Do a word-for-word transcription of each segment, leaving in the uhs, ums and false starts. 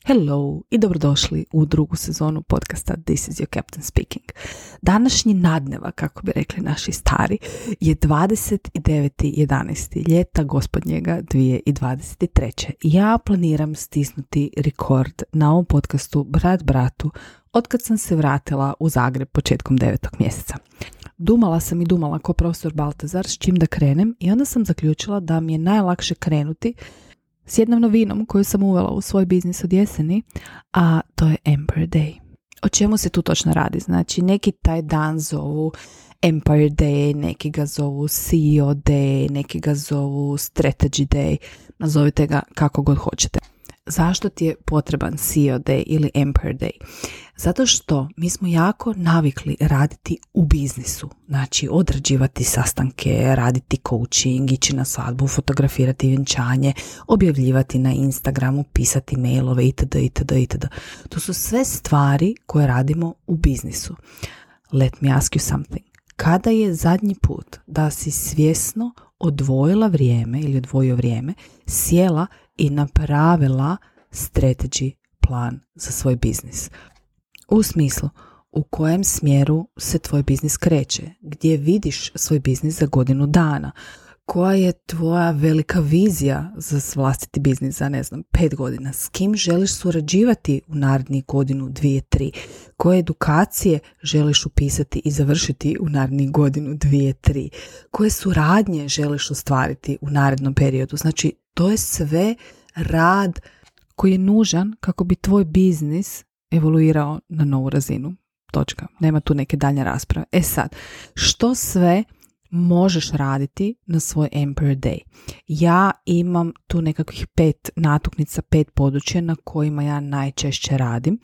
Hello i dobrodošli u drugu sezonu podcasta This is your Captain Speaking. Današnji nadneva, kako bi rekli naši stari, je dvadeset deveti jedanaesti ljeta gospodnjega dvije tisuće dvadeset treće. Ja planiram stisnuti rekord na ovom podcastu brat bratu otkad sam se vratila u Zagreb početkom devetog mjeseca. Dumala sam i dumala ko profesor Baltazar s čim da krenem i onda sam zaključila da mi je najlakše krenuti s jednom novinom koju sam uvela u svoj biznis od jeseni, a to je Empire Day. O čemu se tu točno radi? Znači, neki taj dan zovu Empire Day, neki ga zovu C E O Day, neki ga zovu Strategy Day, nazovite ga kako god hoćete. Zašto ti je potreban C E O Day ili Empire Day? Zato što mi smo jako navikli raditi u biznisu, znači odrađivati sastanke, raditi coaching, ići na svadbu, fotografirati vjenčanje, objavljivati na Instagramu, pisati mailove itd. itd. itd. To su sve stvari koje radimo u biznisu. Let me ask you something. Kada je zadnji put da si svjesno odvojila vrijeme ili odvojio vrijeme, sjela i napravila strategy plan za svoj biznis? U smislu u kojem smjeru se tvoj biznis kreće, gdje vidiš svoj biznis za godinu dana, koja je tvoja velika vizija za vlastiti biznis za, ne znam, pet godina, s kim želiš surađivati u narednih godinu, dvije, tri, koje edukacije želiš upisati i završiti u narednih godinu, dvije, tri, koje suradnje želiš ostvariti u narednom periodu. Znači, to je sve rad koji je nužan kako bi tvoj biznis evoluirao na novu razinu. Točka. Nema tu neke daljnje rasprave. E sad, što sve možeš raditi na svoj Empire Day? Ja imam tu nekakvih pet natuknica, pet područja na kojima ja najčešće radim,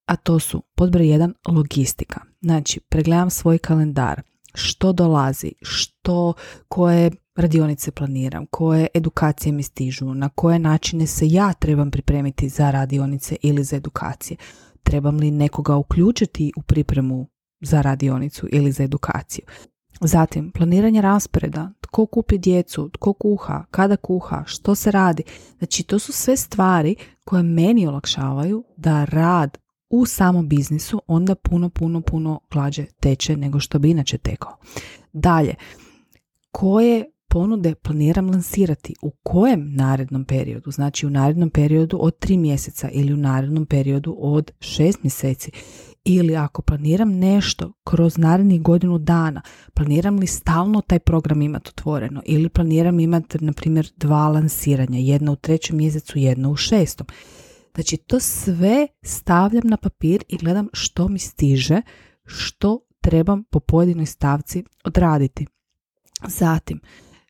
a to su pod broj jedan logistika. Znači, pregledam svoj kalendar, što dolazi, što, koje radionice planiram, koje edukacije mi stižu, na koje načine se ja trebam pripremiti za radionice ili za edukacije. Trebam li nekoga uključiti u pripremu za radionicu ili za edukaciju. Zatim, planiranje rasporeda, tko kupi djecu, tko kuha, kada kuha, što se radi. Znači, to su sve stvari koje meni olakšavaju da rad u samom biznisu onda puno, puno, puno glađe teče nego što bi inače tekao. Dalje, koje ponude planiram lansirati, u kojem narednom periodu, znači u narednom periodu od tri mjeseca ili u narednom periodu od šest mjeseci, ili ako planiram nešto kroz narednih godinu dana, planiram li stalno taj program imati otvoreno ili planiram imati, na primjer, dva lansiranja, jedno u trećem mjesecu, jedno u šestom. Znači, to sve stavljam na papir i gledam što mi stiže, što trebam po pojedinoj stavci odraditi. Zatim,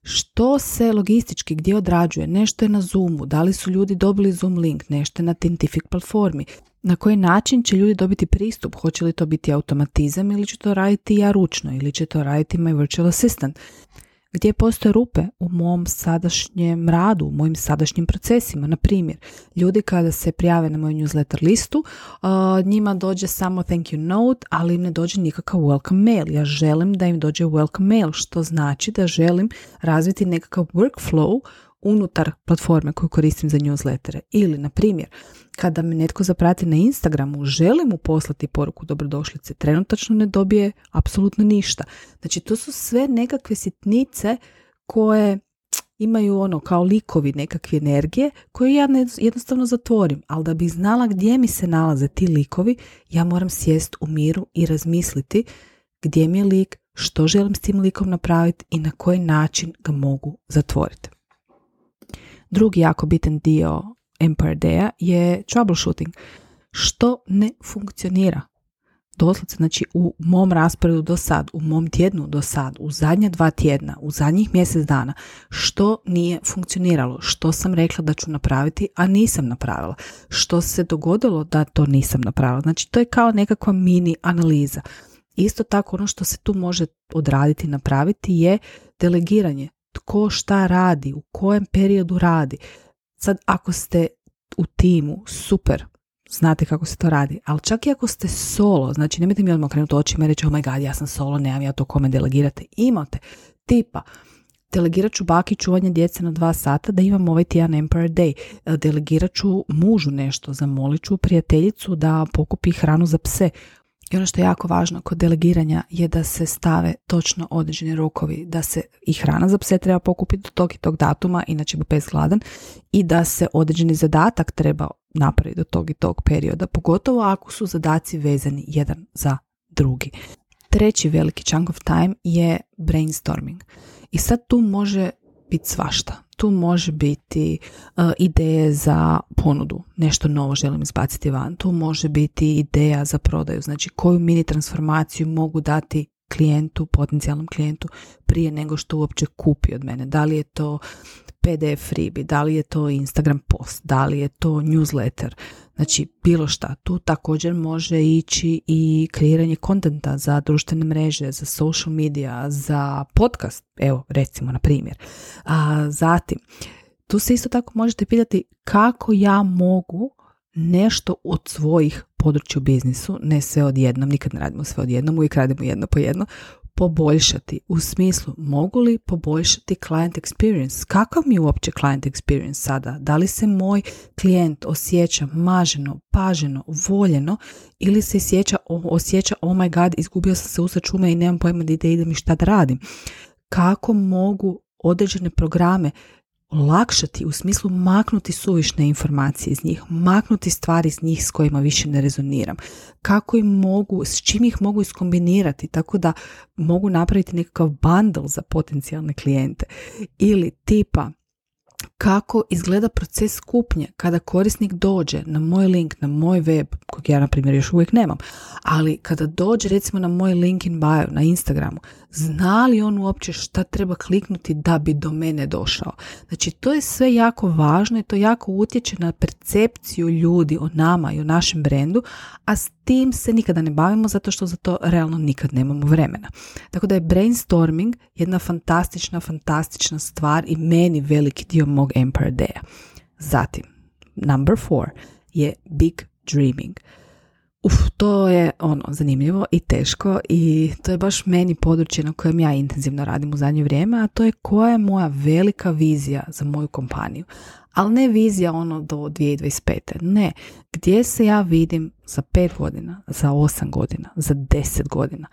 što se logistički gdje odrađuje, nešto je na Zoomu, da li su ljudi dobili Zoom link, nešto je na Thintific platformi, na koji način će ljudi dobiti pristup, hoće li to biti automatizam ili će to raditi ja ručno ili će to raditi my virtual assistant. Gdje postoje rupe u mom sadašnjem radu, u mojim sadašnjim procesima. Na primjer, ljudi kada se prijave na moju newsletter listu, uh, njima dođe samo thank you note, ali im ne dođe nikakav welcome mail. Ja želim da im dođe welcome mail, što znači da želim razviti nekakav workflow unutar platforme koju koristim za newslettere. Ili, na primjer, kada me netko zaprati na Instagramu, želim mu poslati poruku dobrodošlice, trenutačno ne dobije apsolutno ništa. Znači, to su sve nekakve sitnice koje imaju ono kao likovi nekakve energije koje ja jednostavno zatvorim, ali da bih znala gdje mi se nalaze ti likovi, ja moram sjest u miru i razmisliti gdje mi je lik, što želim s tim likom napraviti i na koji način ga mogu zatvoriti. Drugi jako bitan dio Empire Day-a je troubleshooting. Što ne funkcionira? Doslovce, znači u mom rasporedu do sad, u mom tjednu do sad, u zadnja dva tjedna, u zadnjih mjesec dana, što nije funkcioniralo, što sam rekla da ću napraviti, a nisam napravila, što se dogodilo da to nisam napravila. Znači, to je kao nekakva mini analiza. Isto tako, ono što se tu može odraditi i napraviti je delegiranje. Tko šta radi, u kojem periodu radi. Sad, ako ste u timu, super, znate kako se to radi, ali čak i ako ste solo, znači nemojte mi odmah krenuti očima i reći, oh my god, ja sam solo, nemam ja to kome delegirati. Imate tipa Delegirat ću baki čuvanje djece na dva sata da imam ovaj tjedan Empire Day. Delegirat ću mužu nešto, zamolit ću prijateljicu da pokupi hranu za pse. I ono što je jako važno kod delegiranja je da se stave točno određeni rokovi, da se i hrana za pse treba pokupiti do tog i tog datuma, inače bi pes gladan, i da se određeni zadatak treba napraviti do tog i tog perioda, pogotovo ako su zadaci vezani jedan za drugi. Treći veliki chunk of time je brainstorming. I sad tu može biti svašta. Tu može biti uh, ideje za ponudu, nešto novo želim izbaciti van. Tu može biti ideja za prodaju, znači koju mini transformaciju mogu dati klijentu, potencijalnom klijentu prije nego što uopće kupi od mene. Da li je to P D F freebie, da li je to Instagram post, da li je to newsletter, znači bilo šta. Tu također može ići i kreiranje kontenta za društvene mreže, za social media, za podcast, evo recimo na primjer. A, zatim, tu se isto tako možete pitati kako ja mogu nešto od svojih područja u biznisu, ne sve odjednom, nikad ne radimo sve odjednom, uvijek radimo jedno po jedno, poboljšati. U smislu, mogu li poboljšati client experience? Kakav mi je uopće client experience sada? Da li se moj klijent osjeća maženo, paženo, voljeno ili se osjeća, osjeća oh my god, izgubio sam se usred šume i nemam pojma da idem i šta da radim? Kako mogu određene programe olakšati, u smislu maknuti suvišne informacije iz njih, maknuti stvari iz njih s kojima više ne rezoniram, kako im mogu, s čim ih mogu iskombinirati tako da mogu napraviti nekakav bundle za potencijalne klijente, ili tipa kako izgleda proces kupnje kada korisnik dođe na moj link, na moj web, kojeg ja na primjer još uvijek nemam, ali kada dođe recimo na moj link in bio na Instagramu, zna li on uopće šta treba kliknuti da bi do mene došao? Znači to je sve jako važno i to jako utječe na percepciju ljudi o nama i o našem brendu, a s tim se nikada ne bavimo zato što za to realno nikad nemamo vremena. Tako da je brainstorming jedna fantastična, fantastična stvar i meni veliki dio mog Empire Day-a. Zatim, number four je big dreaming. Uf, to je ono zanimljivo i teško i to je baš meni područje na kojem ja intenzivno radim u zadnje vrijeme, a to je koja je moja velika vizija za moju kompaniju. Ali ne vizija ono do dvije tisuće dvadeset pete. Ne, gdje se ja vidim za pet godina, za osam godina, za deset godina.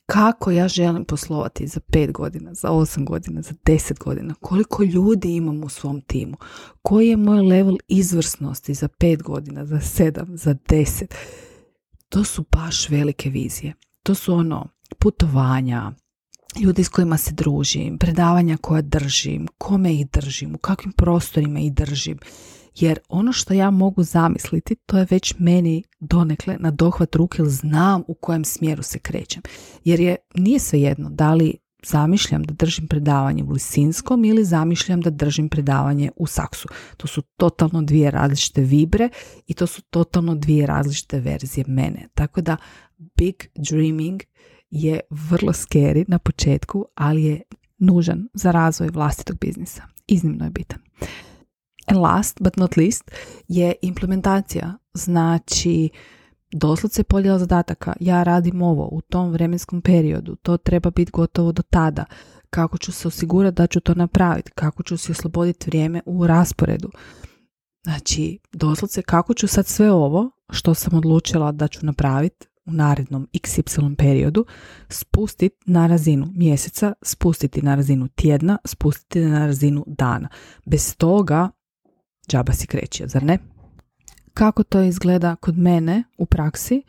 Kako ja želim poslovati za pet godina, za osam godina, za deset godina. Koliko ljudi imam u svom timu. Koji je moj level izvrsnosti za pet godina, za sedam, za deset. To su baš velike vizije. To su ono putovanja, ljudi s kojima se družim, predavanja koja držim, kome ih držim, u kakvim prostorima ih držim. Jer ono što ja mogu zamisliti, to je već meni donekle na dohvat ruke, jer znam u kojem smjeru se krećem. Jer je, nije svejedno da li zamišljam da držim predavanje u Lisinskom ili zamišljam da držim predavanje u Saksu. To su totalno dvije različite vibre i to su totalno dvije različite verzije mene. Tako da big dreaming je vrlo scary na početku, ali je nužan za razvoj vlastitog biznisa. Iznimno je bitan. And last but not least je implementacija. Znači, doslovce podjela zadataka. Ja radim ovo u tom vremenskom periodu. To treba biti gotovo do tada. Kako ću se osigurati da ću to napraviti? Kako ću si osloboditi vrijeme u rasporedu? Znači, doslovce kako ću sad sve ovo što sam odlučila da ću napraviti u narednom iks ipsilon periodu spustiti na razinu mjeseca, spustiti na razinu tjedna, spustiti na razinu dana. Bez toga džaba si kreće, zar ne? Kako to izgleda kod mene u praksi?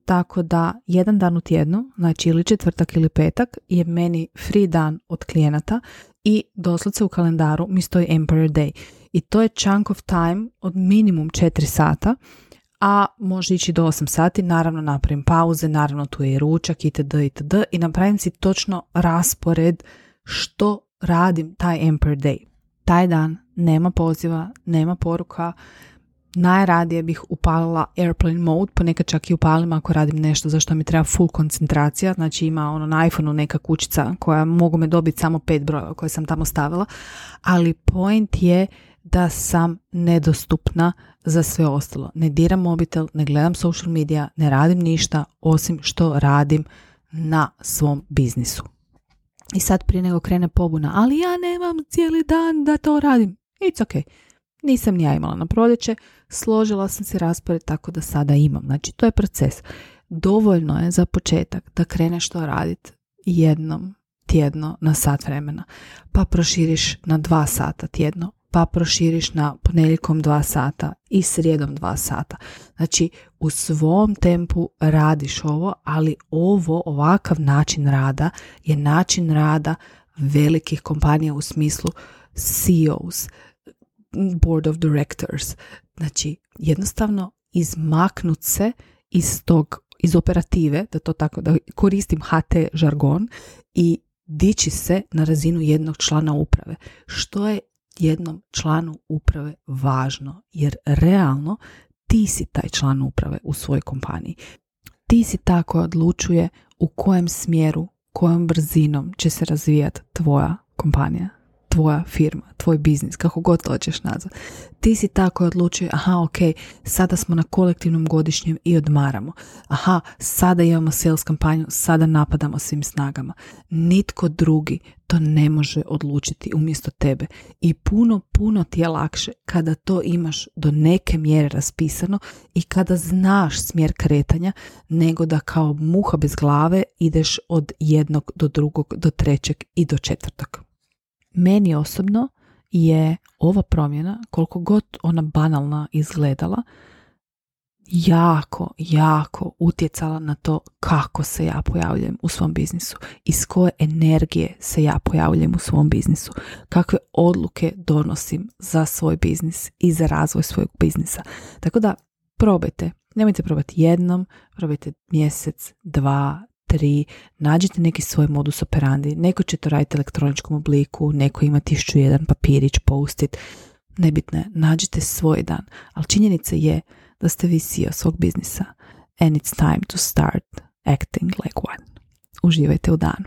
Tako da jedan dan u tjednu, znači ili četvrtak ili petak, je meni free dan od klijenata i doslovce u kalendaru mi stoji Empire Day. I to je chunk of time od minimum četiri sata, a može ići do osam sati, naravno napravim pauze, naravno tu je i ručak itd. itd. I napravim si točno raspored što radim taj Empire Day. Taj dan nema poziva, nema poruka, najradije bih upalila airplane mode, ponekad čak i upalim ako radim nešto za što mi treba full koncentracija, znači ima ono na iPhoneu neka kućica koja mogu me dobiti samo pet brojeva koje sam tamo stavila, ali point je da sam nedostupna za sve ostalo. Ne diram mobitel, ne gledam social media, ne radim ništa osim što radim na svom biznisu. I sad prije nego krene pobuna, ali ja nemam cijeli dan da to radim. It's ok. Nisam ni ja imala na proljeće, složila sam se raspored tako da sada imam. Znači, to je proces. Dovoljno je za početak da kreneš to raditi jednom tjedno na sat vremena, pa proširiš na dva sata tjedno, pa proširiš na ponedjeljkom dva sata i srijedom dva sata. Znači, u svom tempu radiš ovo, ali ovo, ovakav način rada je način rada velikih kompanija u smislu C E Os, Board of Directors. Znači, jednostavno izmaknut se iz tog, iz operative, da to tako, da koristim H T žargon, i dići se na razinu jednog člana uprave. Što je jednom članu uprave važno? Jer realno ti si taj član uprave u svojoj kompaniji. Ti si ta koja odlučuje u kojem smjeru, kojom brzinom će se razvijati tvoja kompanija, tvoja firma, tvoj biznis, kako god to hoćeš nazvati. Ti si ta koja odlučuje, aha, ok, sada smo na kolektivnom godišnjem i odmaramo. Aha, sada imamo sales kampanju, sada napadamo svim snagama. Nitko drugi to ne može odlučiti umjesto tebe. I puno, puno ti je lakše kada to imaš do neke mjere raspisano i kada znaš smjer kretanja, nego da kao muha bez glave ideš od jednog do drugog, do trećeg i do četvrtog. Meni osobno je ova promjena, koliko god ona banalna izgledala, jako, jako utjecala na to kako se ja pojavljujem u svom biznisu, iz koje energije se ja pojavljujem u svom biznisu, kakve odluke donosim za svoj biznis i za razvoj svojeg biznisa. Tako da probajte, nemojte probati jednom, probajte mjesec, dva, tri, nađite neki svoj modus operandi, neko će to raditi u elektroničkom obliku, neko ima tisuću jedan papirić, post-it, nebitno je, nađite svoj dan, ali činjenica je da ste vi C E O svog biznisa and it's time to start acting like one. Uživajte u danu.